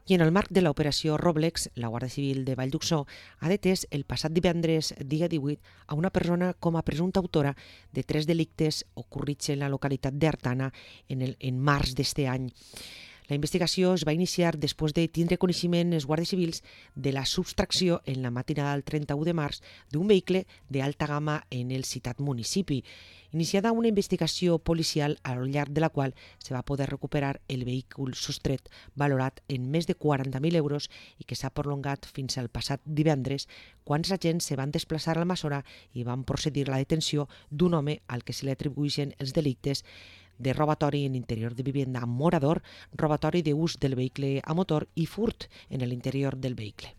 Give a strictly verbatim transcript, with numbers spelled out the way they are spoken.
I en el marc de l'operació Roblex, la Guàrdia Civil de Vallduxó ha detès el passat divendres, dia divuit, a una persona com a presumpta autora de tres delictes ocorrits en la localitat d'Artana en, el, en març d'este any. La investigació es va iniciar després de tindre coneixement els guàrdies civils de la subtracció en la matinada del trenta-u de març d'un vehicle d'alta gamma en el citat municipi, iniciada una investigació policial al llarg de la qual se va poder recuperar el vehicle sostret valorat en més de quaranta mil euros i que s'ha prolongat fins al passat divendres, quan els agents se van desplaçar a Almassora i van procedir a la detenció d'un home al que se li atribueixen els delictes de robatori en interior de vivienda amb morador, robatori d'ús del vehicle a motor i furt en l'interior del vehicle.